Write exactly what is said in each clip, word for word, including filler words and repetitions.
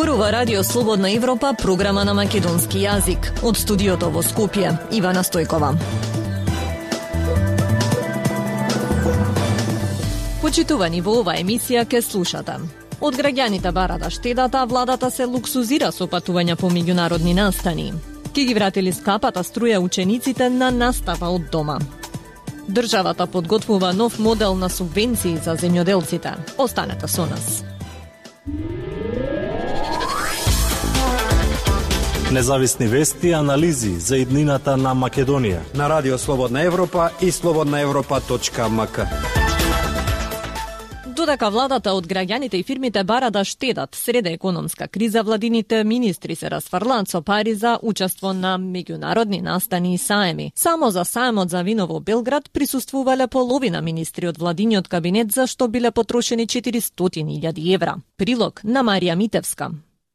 Зборува Радио Слободна Европа, програма на македонски јазик. Од студиото во Скопје, Ивана Стојкова. Почитувани, во ова емисија ке слушате. Од граѓаните барада штедата, владата се луксузира со патувања по меѓународни настани. Ке ги вратили скапата струја учениците на настава од дома. Државата подготвува нов модел на субвенции за земјоделците. Останете со нас. Независни вести и анализи за иднината на Македонија на Радио Слободна Европа и слободна европа точка ем ка. Додека владата од граѓаните и фирмите бара да штедат среде економска криза, владините министри се расфрлаат со пари за учество на меѓународни настани и саеми. Само за саемот за вино во Белград присуствувале половина министри од владиниот кабинет, за што биле потрошени четиристотини илјади евра. Прилог на Марија Митевска.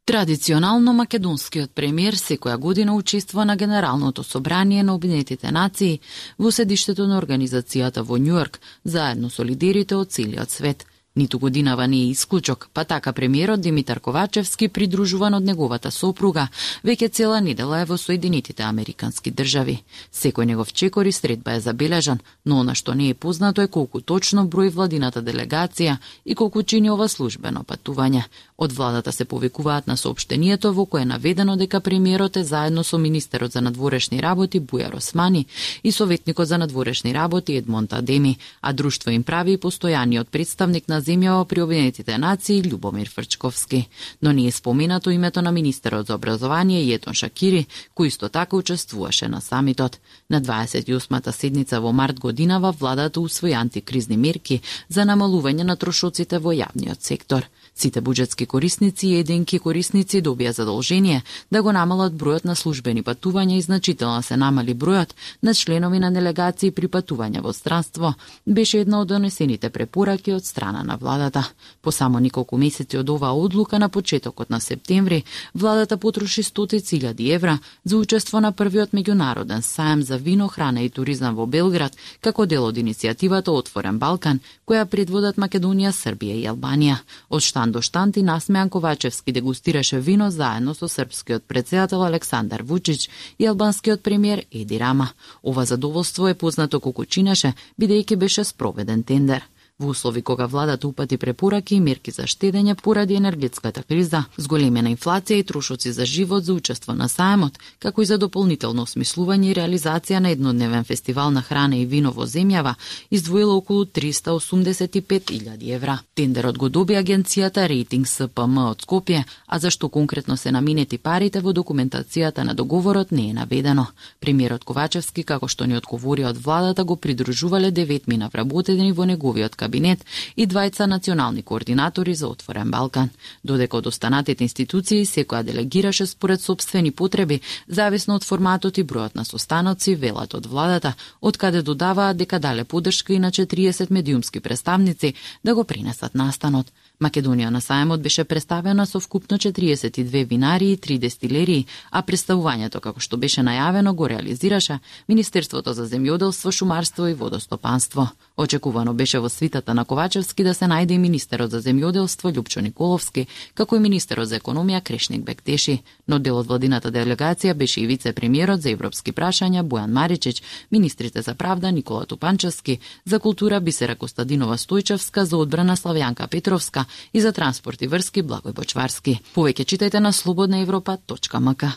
Традиционално македонскиот премиер секоја година учествува на Генералното собрание на Обединетите нации во седиштето на организацијата во Њујорк, заедно со лидерите од целиот свет. Ниту годинава не е исклучок, па така премиерот Димитар Ковачевски, придружуван од неговата сопруга, веќе цела недела е во Соединетите Американски држави. Секој негов чекор и средба е забележан, но она што не е познато е колку точно број владината делегација и колку чини ова службено патување. Од владата се повикуваат на соопштението во кое е наведено дека премиерот е заедно со министерот за надворешни работи Бујар Османи и советникот за надворешни работи Едмонд Адеми, а друштво им прави и постојаниот представник на земјава при Обединетите нации Љубомир Фрчковски. Но не е споменато името на министерот за образование Јетон Шакири, кој исто така учествуваше на самитот. На дваесет и осмата седница во март годинава владата усвои антикризни мерки за намалување на трошоците во јавниот сектор. Сите буџетски корисници и единки корисници добија задолжение да го намалат бројот на службени патувања и значително се намали бројот на членови на делегации при патување во странство, беше една од донесените препораки од страна на владата. По само неколку месеци од оваа одлука на почетокот на септември, владата потроши стотици илјади евра за учество на првиот меѓународен саем за вино, храна и туризам во Белград, како дел од иницијативата Отворен Балкан, која предводат Македонија, Србија и Албанија. Од штан до штанти Насмејан Ковачевски дегустираше вино заедно со српскиот претседател Александар Вучич и албанскиот премиер Еди Рама. Ова задоволство е познато колку чинеше, бидејќи беше спроведен тендер. Во услови кога владата упати препораки и мерки за штедење поради енергетската криза, зголемена инфлација и трошоци за живот за учество на саемот, како и за дополнително осмислување и реализација на еднодневен фестивал на храна и вино во земјава, издвоила околу триста осумдесет и пет илјади евра. Тендерот го доби агенцијата Рейтинг С П М од Скопје, а зашто конкретно се наменети парите во документацијата на договорот не е наведено. Премиерот Ковачевски, како што ни одговори од владата, го придружувале деветмина вработени во неговиот кабинет и двајца национални координатори за Отворен Балкан. Додека од останатите институции секоја делегираше според собствени потреби, зависно од форматот и бројот на состаноци, велат од владата, од каде додаваат дека дале поддршка и на четириесет медиумски представници да го принесат настанот. Македонија на саемот беше представена со вкупно четириесет и две винари и три дестилерии, а представувањето, како што беше најавено, го реализираше Министерството за земјоделство, шумарство и водостопанство. Очекувано беше во свитата на Ковачевски да се најде и министерот за земјоделство Љупчо Николовски, како и министерот за економија Крешник Бектеши, но дел од владината делегација беше и вице-премиерот за европски прашања Бојан Маричич, министрите за правда Никола Тупанчевски, за култура Бисера Костадинова Стојчевска, за одбрана Славјанка Петровска и за транспорт и врски Благој Бочварски. Повеќе читајте на слободна европа точка ем ка.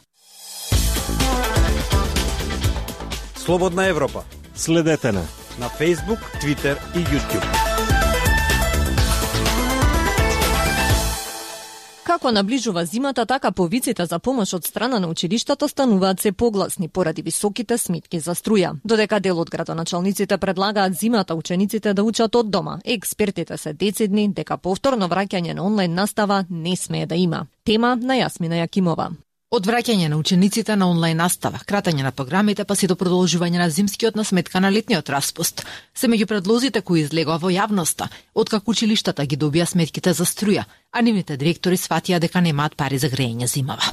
Слободна Европа. Следете на на Facebook, Twitter и YouTube. Како наближува зимата, така повиците за помош од страна на училиштата стануваат се погласни поради високите сметки за струја. Додека дел од градоначалниците предлагаат зимата учениците да учат од дома, експертите се децидни дека повторно враќање на онлайн настава не смее да има. Тема на Јасмина Јакимова. Од враќање на учениците на онлайн настава, кратање на програмите, па си до продолжување на зимскиот на сметка на летниот распуст, се меѓу предлозите кои излегоа во јавноста, откако училиштата ги добија сметките за струја, а нивните директори сватија дека немаат пари за грејење зимава.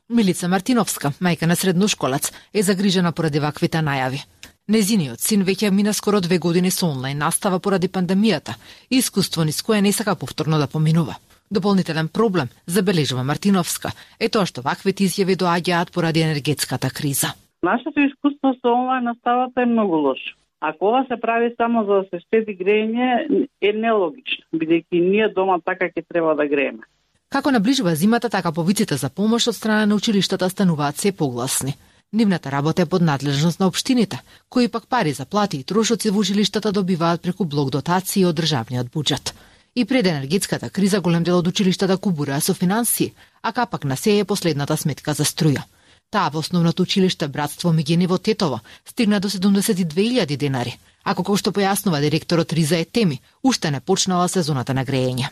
Милица Мартиновска, мајка на средношколац, е загрижена поради ваквите најави. Незиниот син веќе мина скоро две години со онлайн настава поради пандемијата, искуство низ кое не сака повторно да поминува. Дополнителен проблем, забележува Мартиновска, е тоа што ваквите изјави доаѓаат поради енергетската криза. Нашето искуство со онлайн наставата е многу лошо. Ако ова се прави само за да се штеди грејење, е нелогично, бидејќи ние дома така ќе треба да грееме. Како наближува зимата, така повиците за помош од страна на училиштата стануваат се погласни. Нивната работа е под надлежност на општините, кои пак пари за плати и трошоци во училиштата добиваат преку блок дотации од државниот буџет. И пред енергетската криза голем дел од училиштата кубураа со финансии, а капак на се е последната сметка за струја. Таа во основното училиште Братство Мигени во Тетово стигна до седумдесет и две илјади денари, а како што појаснува директорот Риза Етеми, уште не почнала сезоната на грејење.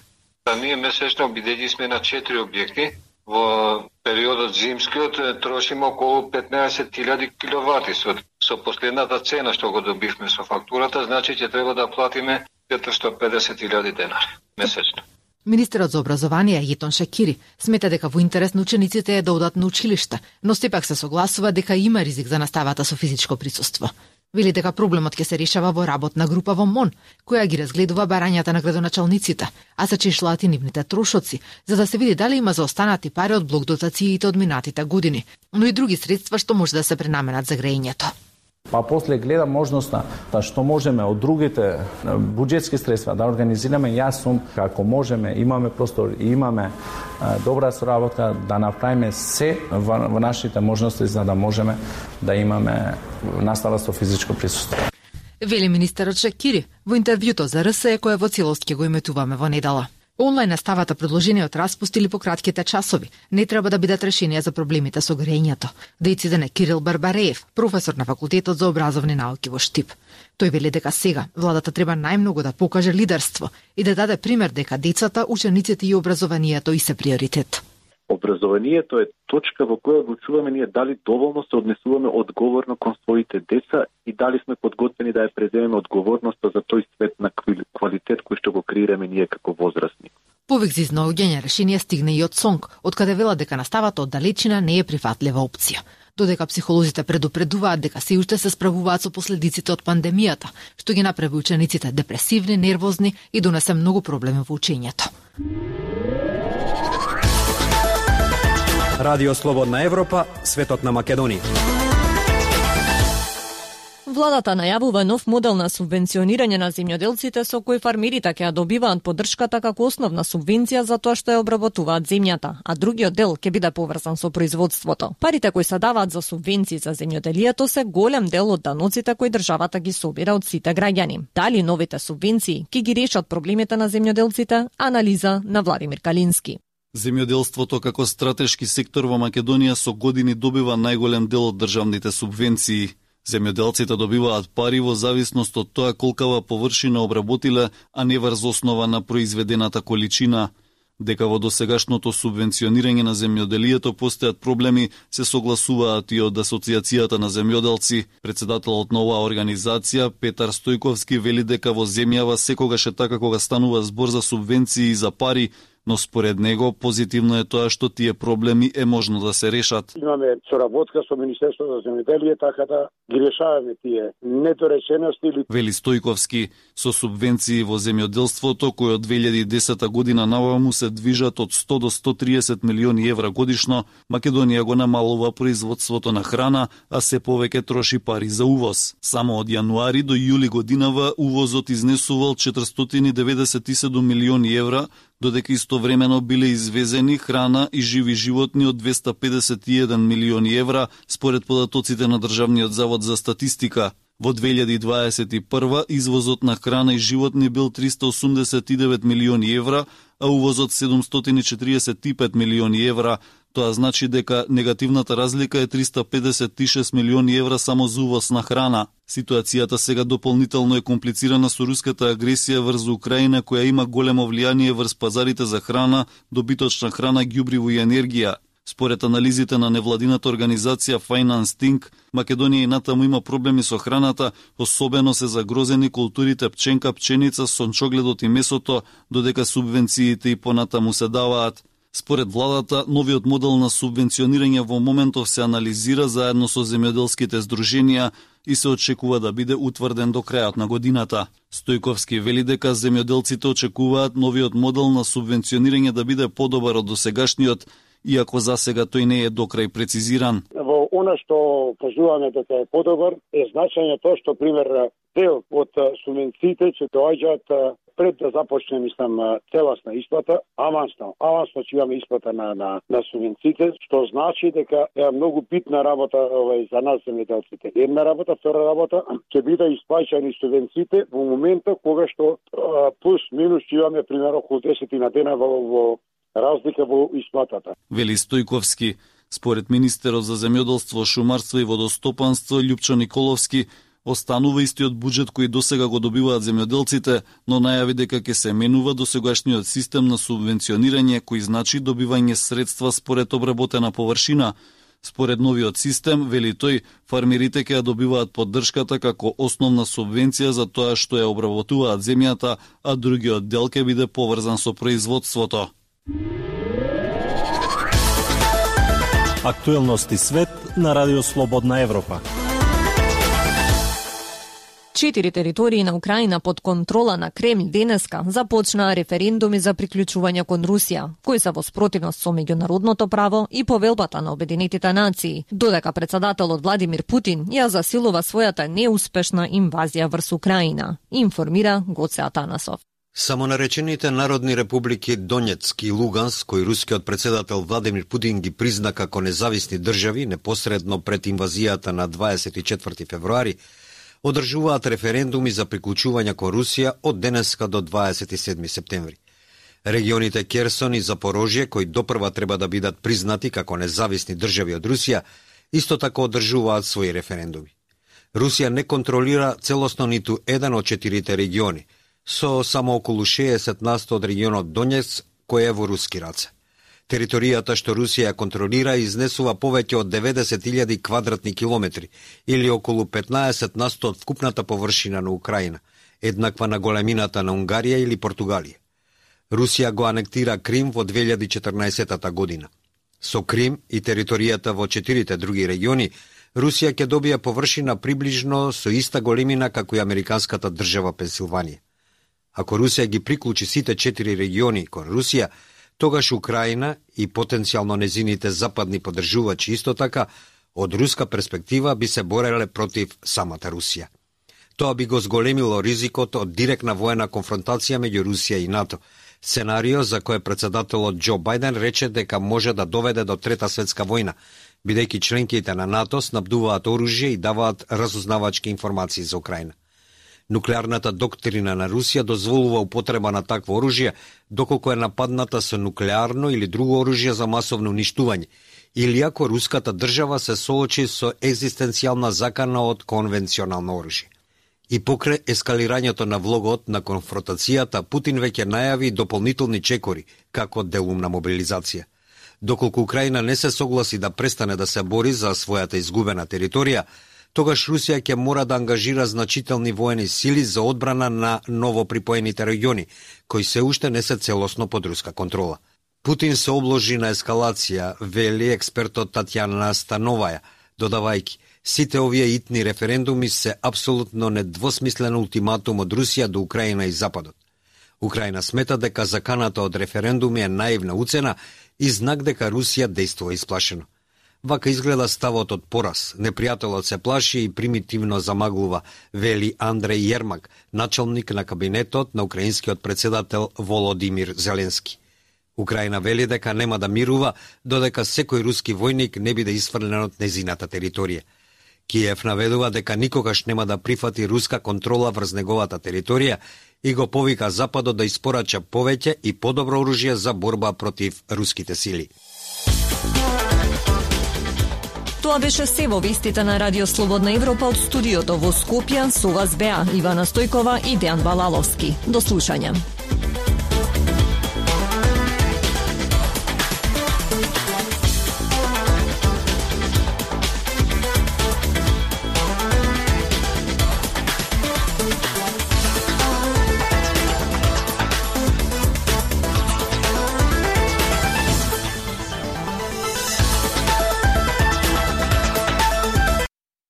Ние месечно бидејќи сме на четири објекти, во периодот зимскиот трошиме околу петнаесет илјади киловати. Со, со последната цена што го добивме со фактурата, значи ќе треба да платиме четиристотини и педесет илјади денари месечно. Министерот за образование Јетон Шакири смета дека во интерес на учениците е да одат на училиште, но сепак се согласува дека има ризик за наставата со физичко присуство. Вели дека проблемот ќе се решава во работна група во МОН, која ги разгледува барањата на градоначалниците, а се чешлаат и нивните трошоци, за да се види дали има заостанати пари од блок дотациите од минатите години, но и други средства што може да се пренаменат за грејењето. Па после гледа можноста да што можеме од другите буџетски средства да организираме. Јас сум како можеме, имаме простор и имаме а, добра соработка да направиме се во, во нашите можности за да можеме да имаме настава со физичко присуство. Вели министерот Шакири во интервјуто за РСЕ кое во целост ќе го иметуваме во недела. Онлайн наставата, предложениот распуст или по кратките часови, не треба да бидат решение за проблемите со грејењето. Дециден е Кирил Барбареев, професор на Факултетот за образовни науки во Штип. Тој вели дека сега владата треба најмногу да покаже лидерство и да даде пример дека децата, учениците и образованието и се приоритет. Образованието е точка во која одлучуваме ние дали доволно се однесуваме одговорно кон своите деца и дали сме подготвени да ја преземеме одговорноста за тој свет на квалитет кој што го креираме ние како возрастни. Повик за изнаоѓање решение стигна и од СОНК, од каде вела дека наставата од далечина не е прифатлива опција. Додека психолозите предупредуваат дека се уште се справуваат со последиците од пандемијата, што ги направи учениците депресивни, нервозни и донесе многу проблеми во учењето. Радио Слободна Европа, светот на Македонија. Владата најавува нов модел на субвенционирање на земјоделците со кој фармерите ќе добиваат поддршката како основна субвенција за тоа што ја обработуваат земјата, а другиот дел ќе биде поврзан со производството. Парите кои се даваат за субвенции за земјоделието се голем дел од даноците кои државата ги собира од сите граѓани. Дали новите субвенции ќе ги решат проблемите на земјоделците? Анализа на Владимир Калински. Земјоделството како стратешки сектор во Македонија со години добива најголем дел од државните субвенции. Земјоделците добиваат пари во зависност од тоа колкава површина обработиле, а не врз основа на произведената количина. Дека во досегашното субвенционирање на земјоделието постојат проблеми, се согласуваат и од Асоциацијата на земјоделци. Председателот на оваа организација, Петар Стојковски, вели дека во земјава секогаш е така кога станува збор за субвенции и за пари, но според него позитивно е тоа што тие проблеми е можно да се решат. Имаме соработка со Министерството за земјоделие, така да ги решаваме тие недоречености или... Вели Стојковски, со субвенции во земјоделството кои од две илјади и десета година наваму се движат од сто до сто триесет милиони евра годишно, Македонија го намалува производството на храна, а се повеќе троши пари за увоз. Само од јануари до јули годинава увозот изнесувал четиристотини деветдесет и седум милиони евра, додека истовремено биле извезени храна и живи животни од двесте педесет и еден милиони евра, според податоците на Државниот завод за статистика. Во две илјади и дваесет и прва извозот на храна и животни бил триста осумдесет и девет милиони евра, а увозот седумстотини четиридесет и пет милиони евра. Тоа значи дека негативната разлика е триста педесет и шест милиони евра само за увоз на храна. Ситуацијата сега дополнително е комплицирана со руската агресија врз Украина, која има големо влијание врз пазарите за храна, добиточна храна, ѓубриво и енергија. Според анализите на невладината организација Finance Think, Македонија и натаму има проблеми со храната, особено се загрозени културите пченка, пченица, сончогледот и месото, додека субвенциите и понатаму се даваат. Според владата, новиот модел на субвенционирање во моментов се анализира заедно со земјоделските здруженија и се очекува да биде утврден до крајот на годината. Стојковски вели дека земјоделците очекуваат новиот модел на субвенционирање да биде подобар од досегашниот, иако засега тој не е докрај прецизиран. Во она што кажуваме дека е подобар е значање тоа што пример дел од субвенциите ќе доаѓаат пред да започне, мислам, целосна исплата, авансно, авансно ќе имаме исплата на на на субвенциите, што значи дека е многу битна работа овај за нас земјоделците. Една работа, втора работа ќе биде исплаќани субвенциите во моментот кога што плюс минус ќе имаме примерно околу десет на дена во, во разлика во исплатата. Вели Стојковски. Според министерот за земјоделство, шумарство и водостопанство Љупчо Николовски, останува истиот буџет кој досега го добиваат земјоделците, но најави дека ќе се менува досегашниот систем на субвенционирање кој значи добивање средства според обработена површина. Според новиот систем, вели тој, фармерите ќе добиваат поддршката како основна субвенција за тоа што ја обработуваат земјата, а другиот дел ќе биде поврзан со производството. Актуелности свет на Радио Слободна Европа. Четири територии на Украина под контрола на Кремљ денеска започнаа референдуми за приклучување кон Русија, кои се во спротивност со меѓународното право и повелбата на Обединетите нации, додека председателот Владимир Путин ја засилува својата неуспешна инвазија врз Украина, информира Гоце Атанасов. Самонаречените народни републики Донецк и Луганск, кои рускиот председател Владимир Путин ги призна како независни држави непосредно пред инвазијата на дваесет и четврти февруари, одржуваат референдуми за приклучување кон Русија од денеска до дваесет и седми септември. Регионите Керсон и Запорожје, кои допрва треба да бидат признати како независни држави од Русија, исто така одржуваат своји референдуми. Русија не контролира целосно ниту еден од четирите региони, со само околу шеесет на сто од регионот Донецк, кој е во руски раце. Територијата што Русија контролира изнесува повеќе од деветдесет илјади квадратни километри, или околу петнаесет на сто од вкупната површина на Украина, еднаква на големината на Унгарија или Португалија. Русија го анектира Крим во две илјади и четрнаесетта година. Со Крим и територијата во четирите други региони, Русија ќе добија површина приближно со иста големина како и американската држава Пенсилванија. Ако Русија ги приклучи сите четири региони кон Русија, тогаш Украина и потенцијално незините западни поддржувачи исто така, од руска перспектива би се бореле против самата Русија. Тоа би го зголемило ризикот од директна воена конфронтација меѓу Русија и НАТО, сценарио за кое председателот Џо Бајден рече дека може да доведе до Трета светска војна, бидејќи членките на НАТО снабдуваат оружје и даваат разузнавачки информации за Украина. Нуклеарната доктрина на Русија дозволува употреба на такво оружје доколку е нападната со нуклеарно или друго оружје за масовно уништување, или ако руската држава се соочи со екзистенцијална закана од конвенционално оружје. И покрај ескалирањето на влогот на конфронтацијата, Путин веќе најави дополнителни чекори како делумна мобилизација. Доколку Украина не се согласи да престане да се бори за својата изгубена територија, тогаш Русија ќе мора да ангажира значителни воени сили за одбрана на новоприпоените региони, кои се уште не се целосно под руска контрола. Путин се обложи на ескалација, вели експертот Татјана Становаја, додавајќи: сите овие итни референдуми се апсолутно недвосмислен ултиматум од Русија до Украина и Западот. Украина смета дека заканата од референдуми е наивна уцена и знак дека Русија действува исплашено. Вака изгледа ставот од пораз. Непријателот се плаши и примитивно замаглува, вели Андреј Јермак, началник на кабинетот на украинскиот председател Володимир Зеленски. Украина вели дека нема да мирува додека секој руски војник не биде исфрлен од незината територија. Киев наведува дека никогаш нема да прифати руска контрола врз неговата територија и го повика Западот да испорача повеќе и подобро оружје за борба против руските сили. Тоа беше се во вестите на Радио Слободна Европа од студиото во Скопје. Со вас беа Ивана Стојкова и Дејан Балаловски. До слушање.